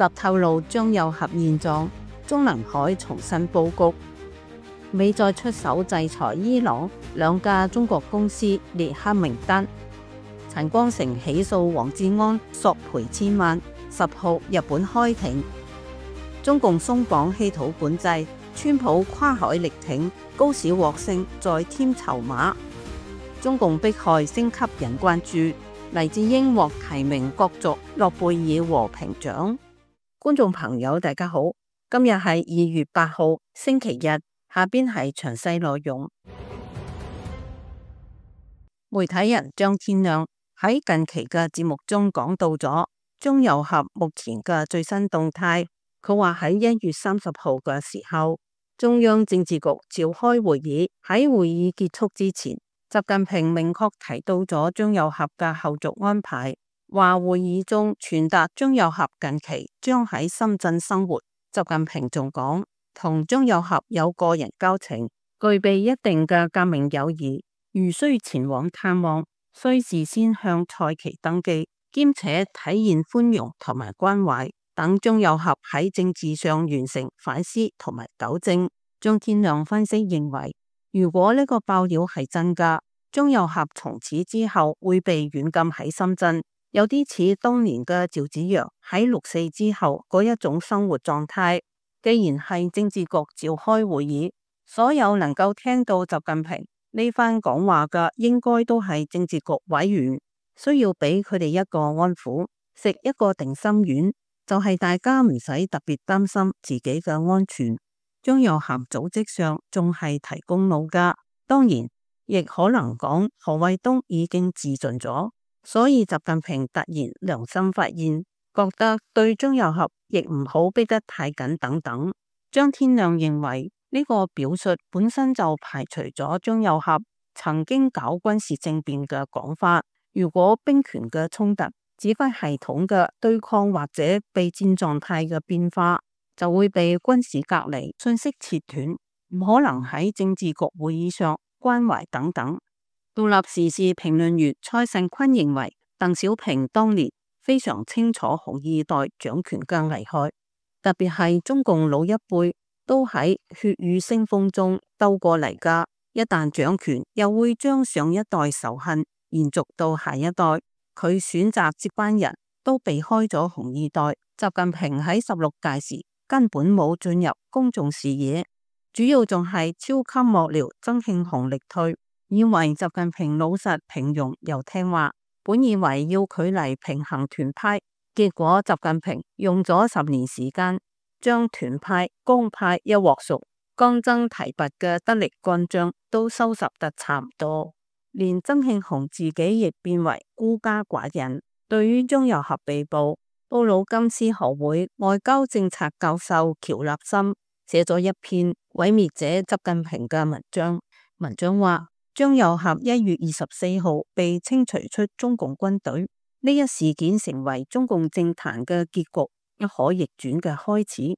集透露張又俠現狀，中南海重新佈局。美再出手制裁伊朗2家中國公司列黑名單。陳光誠起訴黃志安索賠1000萬。10號日本開庭。中共鬆綁稀土管制，川普跨海力挺，高市獲勝再添籌碼。中共迫害升級人關注，黎智英獲提名角逐諾貝爾和平獎。觀眾朋友大家好，今日係2月8號星期日，下邊係詳細內容。媒體人張天亮喺近期嘅節目中講到咗張又俠目前嘅最新動態。佢話喺1月30號嘅時候，中央政治局召開會議，喺會議結束之前，習近平明確提到咗張又俠嘅後續安排，話會議中傳達張又俠近期將喺深圳生活。習近平仲講，同張又俠有個人交情，具備一定嘅革命友誼，如需前往探望，需事先向蔡奇登記，兼且體現寬容同埋關懷，等張又俠喺政治上完成反思同埋糾正。張天亮分析認為，如果呢個爆料係真㗎，張又俠從此之後會被軟禁喺深圳，有啲似當年嘅趙紫陽喺6.4之後嗰一種生活狀態。既然係政治局召開會議，所有能夠聽到習近平呢番講話嘅，應該都係政治局委員，需要俾佢哋一個安撫，食一個定心丸，就係大家唔使特別擔心自己嘅安全。張又俠組織上仲係提供腦㗎，當然亦可能講何衛東已經自盡咗，所以習近平突然良心發現，覺得對張又俠亦唔好逼得太緊等等。張天亮認為呢個表述本身就排除咗張又俠曾經搞軍事政變嘅講法。如果兵權嘅衝突、指揮系統嘅對抗或者備戰狀態嘅變化，就會被軍事隔離、信息切斷，唔可能喺政治局會議上關懷等等。獨立時事評論員蔡慎坤認為，鄧小平當年非常清楚紅二代掌權嘅危害，特別係中共老一輩都喺血雨腥風中兜過嚟㗎，一旦掌權又會將上一代仇恨延續到下一代。佢選擇接班人都避開咗紅二代。習近平喺16屆時根本冇進入公眾視野，主要仲係超級幕僚曾慶紅力退，以為習近平老實平庸又聽話，本以為要佢嚟平衡團派，結果習近平用咗10年時間，將團派、江派一鑊熟，剛爭提拔嘅得力幹將都收拾得差唔多，連曾慶紅自己亦變為孤家寡人。對於張又俠被捕，布魯金斯學會外交政策教授喬立森寫咗一篇毀滅者習近平嘅文章。文章話，張又俠1月24號被清除出中共軍隊，呢一事件成為中共政壇嘅結局不可逆轉嘅開始。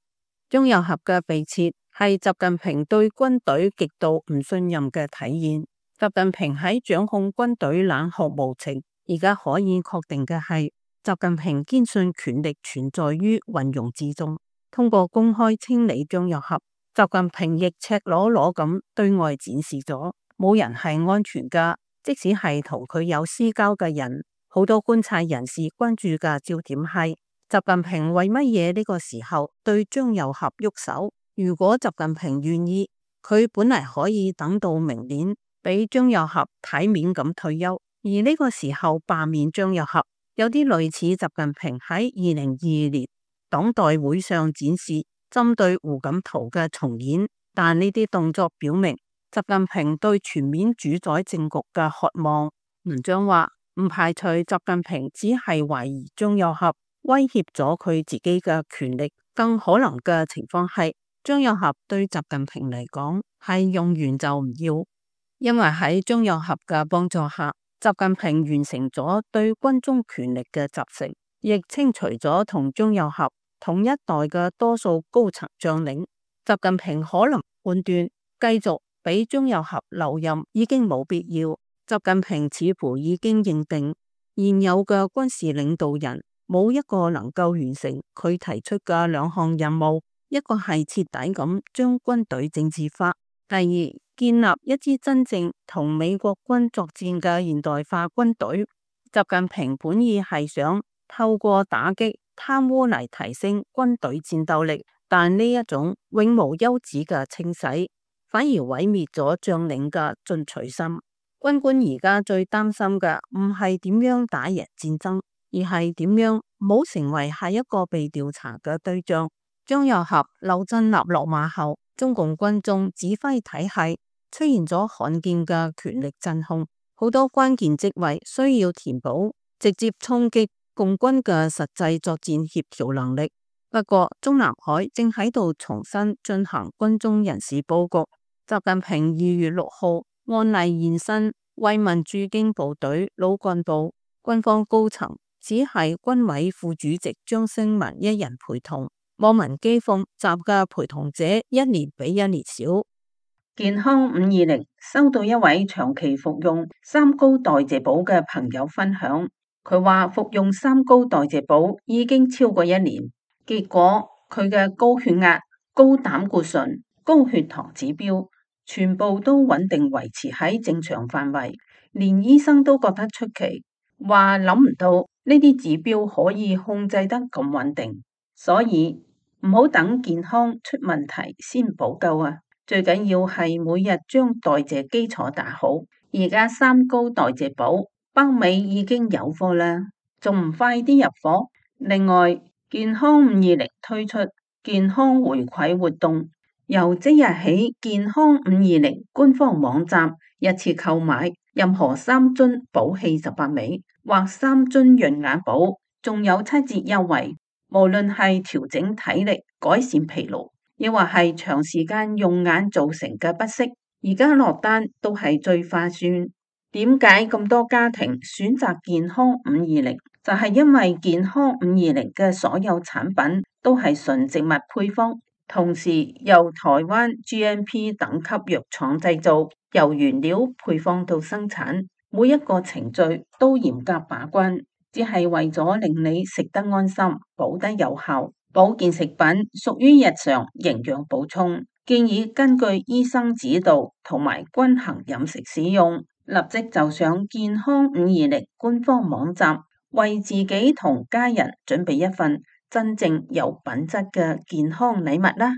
張又俠嘅被撤係習近平對軍隊極度唔信任嘅體現。習近平喺掌控軍隊冷酷無情，而家可以確定嘅係，習近平堅信權力存在於運用之中。通過公開清理張又俠，習近平亦赤裸裸咁對外展示咗，冇人係安全噶。即使係同佢有私交嘅人，好多觀察人士關注嘅焦點係，習近平為乜嘢呢個時候對張又俠喐手？如果習近平願意，佢本嚟可以等到明年俾張又俠體面咁退休，而呢個時候罷免張又俠，有啲類似習近平喺2022年黨代會上展示針對胡錦濤嘅重演。但呢啲動作表明習近平對全面主宰政局嘅渴望。文章話，唔排除習近平只係懷疑張又俠威脅咗佢自己嘅權力，更可能嘅情況係張又俠對習近平嚟講係用完就唔要，因為喺張又俠嘅幫助下，習近平完成咗對軍中權力嘅集成，亦清除咗同張又俠同一代嘅多數高層將領。習近平可能判斷繼續俾張又俠留任已經冇必要。習近平似乎已經認定現有嘅軍事領導人冇一個能夠完成佢提出嘅兩項任務，一個係徹底咁將軍隊政治化，第二，建立一支真正同美國軍作戰嘅現代化軍隊。習近平本意係想透過打擊貪污嚟提升軍隊戰鬥力，但呢一種永無休止嘅清洗，反而毀滅咗將領嘅進取心。軍官而家最擔心嘅唔係點樣打贏戰爭，而係點樣冇成為下一個被調查嘅對象。張又俠、劉振立落馬後，中共軍中指揮體系出現咗罕見嘅權力真空，好多關鍵職位需要填補，直接衝擊共軍嘅實際作戰協調能力。不過，中南海正喺度重新進行軍中人事佈局。習近平2月6號按例現身慰問駐京部隊老幹部，軍方高層只係軍委副主席張升民一人陪同。網民譏諷習嘅陪同者一年比一年少。健康520收到一位長期服用三高代謝寶嘅朋友分享，佢話服用三高代謝寶已經超過1年，結果佢嘅高血壓、高膽固醇、高血糖指標全部都穩定維持喺正常範圍，連醫生都覺得出奇，話諗唔到呢啲指標可以控制得咁穩定。所以唔好等健康出問題先補救啊！最緊要係每日將代謝基礎打好。而家三高代謝寶北美已經有貨啦，仲唔快啲入貨？另外，健康520推出健康回饋活動，由即日起，健康520官方網站一次購買任何3樽寶氣18味或3樽潤眼寶，仲有7折優惠。無論係調整體力、改善疲勞，亦或係長時間用眼造成嘅不適，而家落單都係最划算。點解咁多家庭選擇健康520？就係因為健康520嘅所有產品都係純植物配方，同時由台灣 GMP 等級藥廠製造，由原料配方到生產，每一個程序都嚴格把關。只係為咗令你食得安心、補得有效。保健食品屬於日常營養補充，建議根據醫生指導同埋均衡飲食使用。立即就上健康520官方網站，為自己同家人準備一份真正有品質嘅健康禮物啦！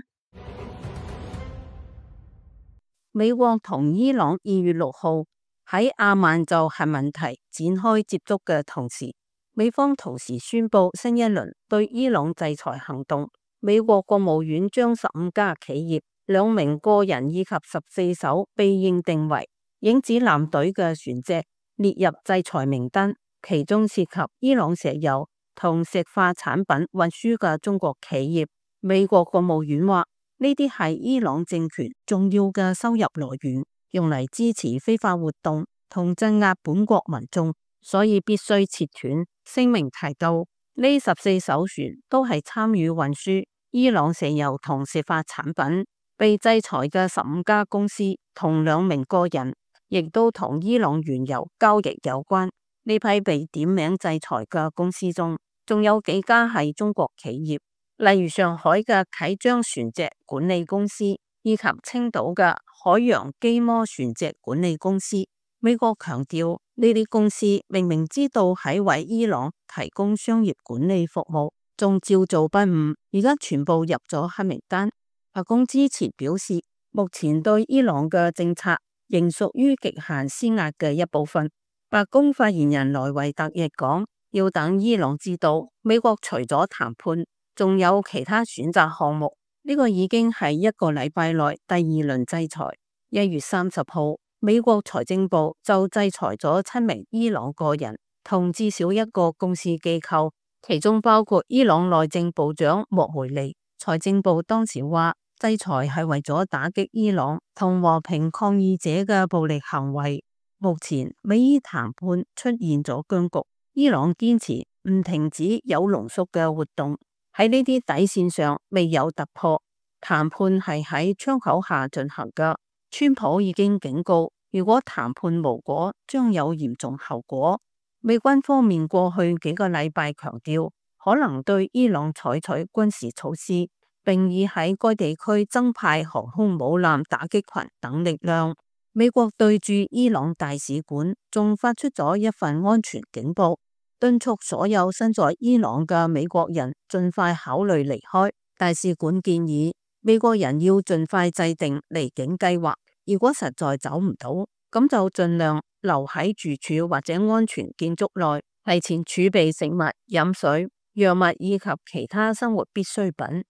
美國同伊朗2月6號喺阿曼就核問題展開接觸嘅同時，美方同時宣布新一輪對伊朗制裁行動。美國國務院將15家企業、2名個人以及14艘被認定為影子艦隊嘅船隻列入制裁名單，其中涉及伊朗石油同石化產品運輸嘅中國企業。美國國務院話，呢啲係伊朗政權重要嘅收入來源，用嚟支持非法活動同鎮壓本國民眾，所以必須切斷。聲明提到，呢14艘船都係參與運輸伊朗石油同石化產品。被制裁嘅15家公司同2名個人，亦都同伊朗原油交易有關。呢批被點名制裁嘅公司中，仲有幾家係中國企業，例如上海嘅啟章船隻管理公司，以及青島嘅海洋基摩船隻管理公司。美國強調，呢啲公司明明知道喺為伊朗提供商業管理服務，仲照做不誤，而家全部入咗黑名單。白宮之前表示，目前對伊朗嘅政策仍屬於極限施壓嘅一部分。白宮發言人萊維特亦講，要等伊朗知道美國除咗談判，仲有其他選擇項目。呢個已經係1個禮拜內第2輪制裁。1月30號，美國財政部就制裁咗7名伊朗個人同至少1個公司機構，其中包括伊朗內政部長莫梅尼。財政部當時話，制裁係為咗打擊伊朗同和平抗議者嘅暴力行為。目前美伊談判出現咗僵局，伊朗堅持唔停止有濃縮嘅活動，喺呢啲底線上未有突破。談判係喺窗口下進行嘅，川普已經警告，如果談判無果，將有嚴重後果。美軍方面過去幾個禮拜強調，可能對伊朗採取軍事措施，並已喺該地區增派航空母艦打擊群等力量。美國對駐伊朗大使館仲發出咗一份安全警報，敦促所有身在伊朗嘅美國人盡快考慮離開。大使館建議美國人要盡快制定離境計劃，如果實在走唔到，咁就盡量留喺住處或者安全建築內，提前儲備食物、飲水、藥物以及其他生活必需品。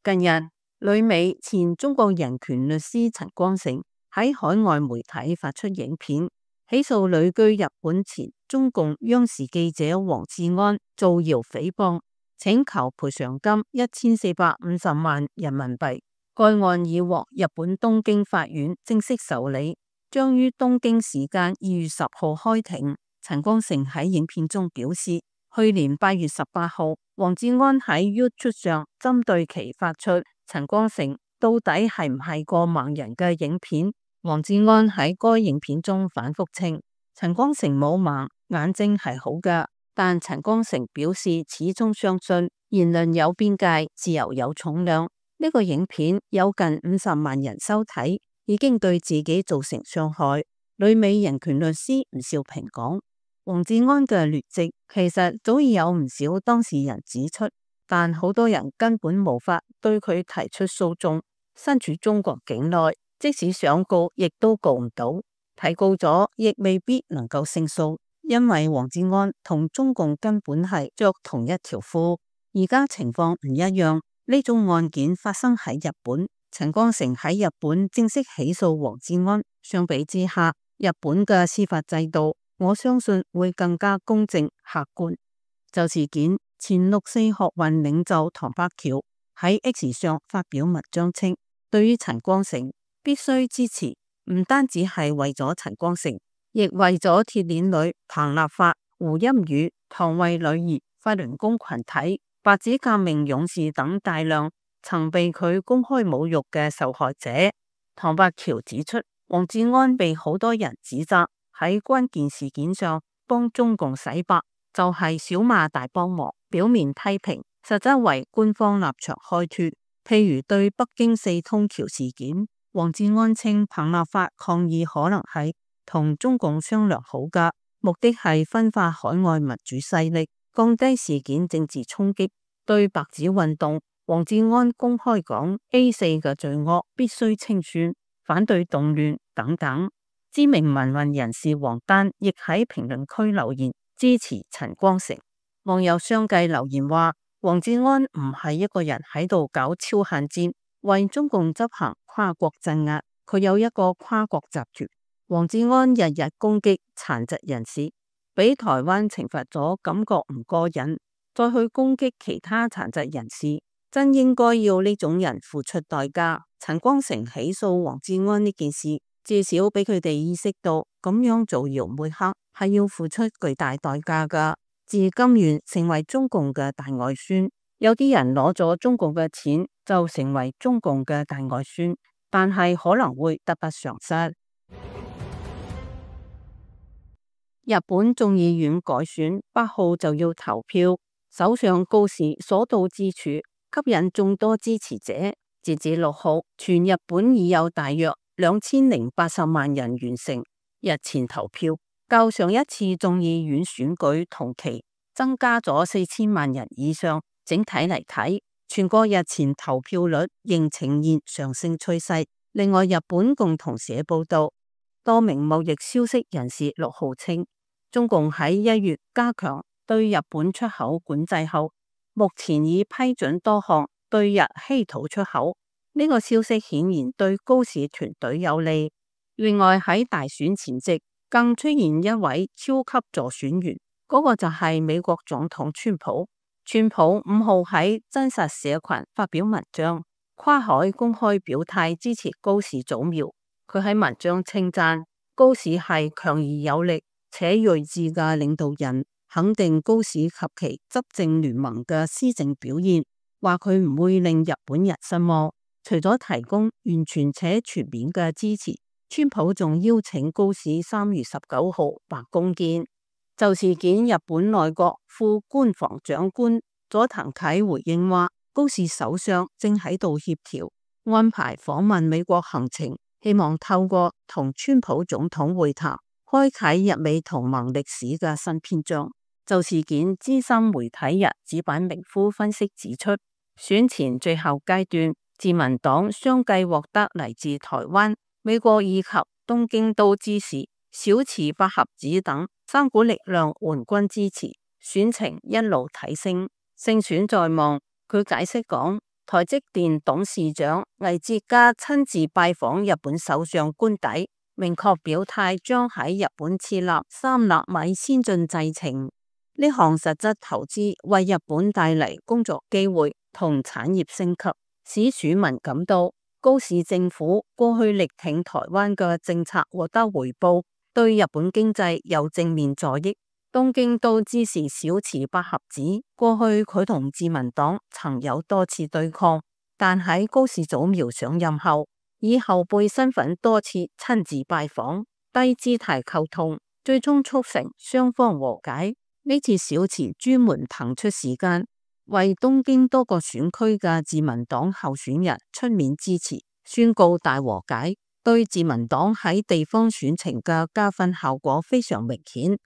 近日，旅美前中國人權律師陳光誠喺海外媒體發出影片，起訴旅居日本前中共央視記者黃志安造謠誹謗，請求賠償金1450萬人民幣。該案已獲日本東京法院正式受理，將於東京時間2月10號開庭。陳光誠喺影片中表示，去年8月18號，黃志安喺 YouTube 上針對其發出陳光誠到底係唔係個盲人嘅影片。黃志安喺該影片中反覆稱，陳光誠冇盲，眼睛係好㗎。但陳光誠表示始終相信言論有邊界，自由有重量。呢個影片有近50萬人收睇，已經對自己造成傷害。旅美人權律師吳兆平講，黃志安嘅劣跡其實早已有唔少當事人指出，但好多人根本無法對佢提出訴訟。身處中國境內，即使想告，亦都告唔到；提告咗，亦未必能夠勝訴，因為黃志安同中共根本係着同一條褲。而家情況唔一樣，呢種案件發生喺日本，陳光誠喺日本正式起訴黃志安。相比之下，日本嘅司法制度，我相信會更加公正客觀。就事件，前六四學運領袖唐伯喬喺 X 上發表文章稱，對於陳光誠必須支持，唔單止係為咗陳光誠，亦為咗鐵鏈女彭立發、胡鑫宇、唐慧女兒、法輪功群體、白紙革命勇士等大量曾被佢公開侮辱嘅受害者。唐伯喬指出，黃志安被好多人指責喺關鍵事件上幫中共洗白，就係小罵大幫忙，表面批評，實質為官方立場開脫。譬如對北京四通橋事件，黃志安稱彭立發抗議可能係同中共商量好㗎，目的係分化海外民主勢力，降低事件政治衝擊。對白紙運動，黃志安公開講 A4 嘅罪惡必須清算，反對動亂等等。知名民運人士黃丹亦喺評論區留言支持陳光誠。網友相繼留言話，黃志安唔係一個人喺度搞超限戰，為中共執行跨國鎮壓，佢有一個跨國集團。黃志安日日攻擊殘疾人士，俾台灣懲罰咗，感覺唔過癮，再去攻擊其他殘疾人士，真應該要呢種人付出代價。陳光誠起訴黃志安呢件事，至少俾佢哋意識到，咁樣造謠抹黑係要付出巨大代價㗎。自甘願成為中共嘅大外宣，有啲人攞咗中共嘅錢就成為中共嘅大外宣，但係可能會得不償失。日本眾議院改選8號就要投票，首相高市所到之處吸引眾多支持者。截至6號，全日本已有大約2080萬人完成日前投票，較上一次眾議院選舉同期增加咗4000萬人以上。整體嚟睇，全國日前投票率仍呈現上升趨勢。另外，日本共同社報道，多名貿易消息人士6號稱，中共喺1月加強對日本出口管制後，目前已批准多項對日稀土出口。呢個消息顯然對高市團隊有利。另外，喺大選前夕，更出現一位超級助選員，嗰個就係美國總統川普。川普5號喺真實社群發表文章，跨海公開表態支持高市早苗。佢喺文章稱讚高市係強而有力且睿智嘅領導人，肯定高市及其執政聯盟嘅施政表現，話佢唔會令日本人失望。除咗提供完全且全面嘅支持，川普仲邀請高市3月19號白宮見。就事件，日本內閣副官房長官佐藤啓回應話，高市首相正喺度協調安排訪問美國行程，希望透過同川普總統會談，開啟日美同盟歷史嘅新篇章。就事件，資深媒體人矢板明夫分析指出，選前最後階段，自民黨相繼獲得嚟自台灣、美國以及東京都支持、小池百合子等三股力量援軍支持，選情一路提升，勝選在望。佢解釋講，台積電董事長魏哲家親自拜訪日本首相官邸，明確表態將喺日本設立3納米先進製程。呢項實質投資為日本帶嚟工作機會同產業升級，使選民感到高市政府過去力挺台灣嘅政策獲得回報，對日本經濟有正面助益。東京都支持小池百合子，過去佢同自民黨曾有多次對抗，但喺高市早苗上任後，以後輩身份多次親自拜訪，低姿態溝通，最終促成雙方和解。呢次小池專門騰出時間，為東京多個選區嘅自民黨候選人出面支持，宣告大和解，對自民黨喺地方選情嘅加分效果非常明顯。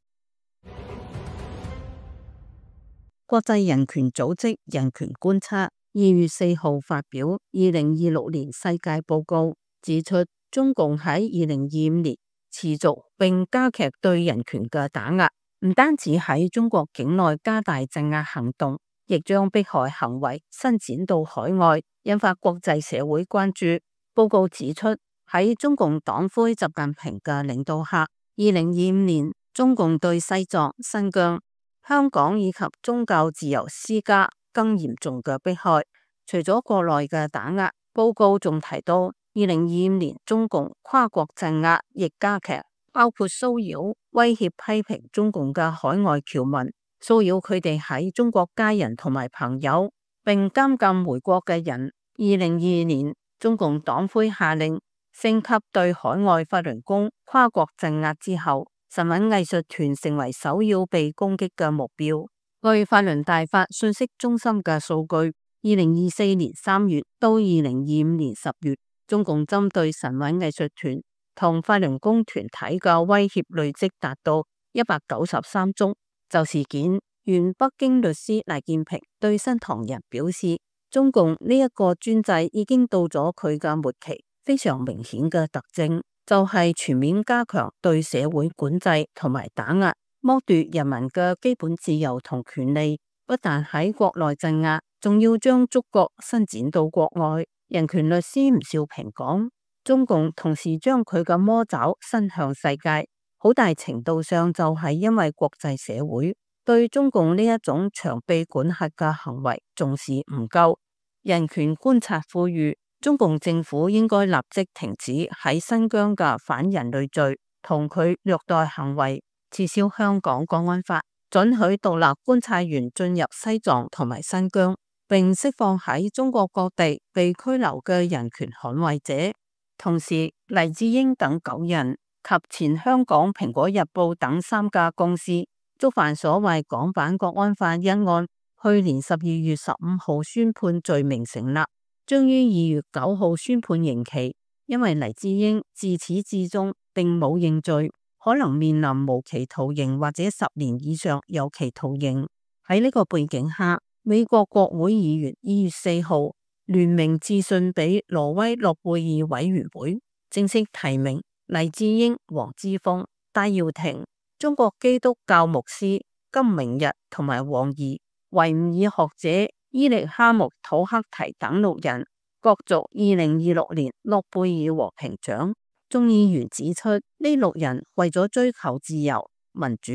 國際人權組織人權觀察2月4號發表2026年世界報告，指出中共喺2025年持續並加劇對人權嘅打壓，唔單止喺中國境內加大鎮壓行動，亦將迫害行為伸展到海外，引發國際社會關注。報告指出，喺中共黨魁習近平嘅領導下，2025年中共對西藏、新疆、香港以及宗教自由施加更嚴重嘅迫害。除咗國內嘅打壓，報告仲提到2025年中共跨國鎮壓亦加劇，包括騷擾、威脅、批評中共嘅海外僑民，騷擾佢哋喺中國家人同埋朋友，並監禁回國嘅人。2022年，中共黨魁下令升級對海外法輪功跨國鎮壓之後，神韻藝術團成為首要被攻擊嘅目標。據法輪大法信息中心嘅數據，2024年3月到2025年10月，中共針對神韻藝術團同法輪功團體嘅威脅累積達到193宗。就事件，原北京律師賴建平對新唐人表示，中共呢一個專制已經到咗佢嘅末期，非常明顯嘅特徵就係全面加強對社會管制同埋打壓，剝奪人民嘅基本自由同權利，不但喺國內鎮壓，仲要將觸角伸展到國外。人權律師吳少平講，中共同時將佢嘅魔爪伸向世界，好大程度上就係因為國際社會對中共呢一種長臂管轄嘅行為重視唔夠。人權觀察呼籲，中共政府應該立即停止喺新疆嘅反人類罪同佢虐待行為，撤銷香港國安法，准許獨立觀察員進入西藏同埋新疆，並釋放喺中國各地被拘留嘅人權捍衛者。同時，黎智英等9人及前香港蘋果日報等3家公司觸犯所謂港版國安法一案，去年12月15號宣判罪名成立，將於2月9號宣判刑期。因為黎智英自始至終並冇認罪，可能面臨無期徒刑或者10年以上有期徒刑。喺呢個背景下，美國國會議員2月4號聯名致信俾挪威諾貝爾委員會，正式提名黎智英、黃之鋒、戴耀廷、中國基督教牧師金明日同埋王怡、維吾爾學者伊力哈木土克提等6人角逐2026年諾貝爾和平獎。眾議員指出，呢6人為咗追求自由民主，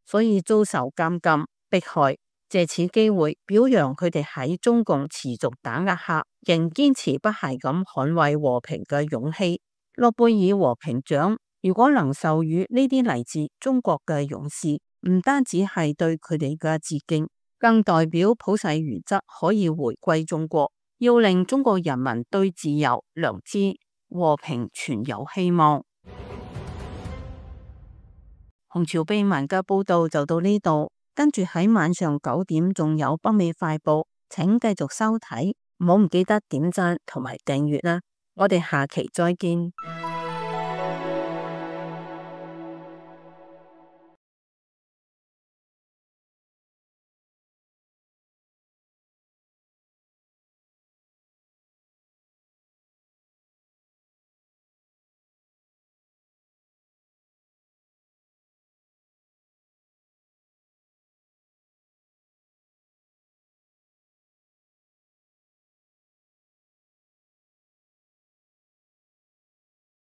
所以遭受監禁迫害，借此機會表揚佢哋喺中共持續打壓下仍堅持不懈咁捍衛和平嘅勇氣。諾貝爾和平獎如果能授予呢啲嚟自中國嘅勇士，唔單止係對佢哋嘅致敬，更代表普世原則可以回歸中國，要令中國人民對自由、良知、和平存有希望。紅潮秘聞嘅報道就到呢度，跟住喺晚上9點仲有北美快報，請繼續收睇，唔好唔記得點讚同埋訂閱啦，我哋下期再見。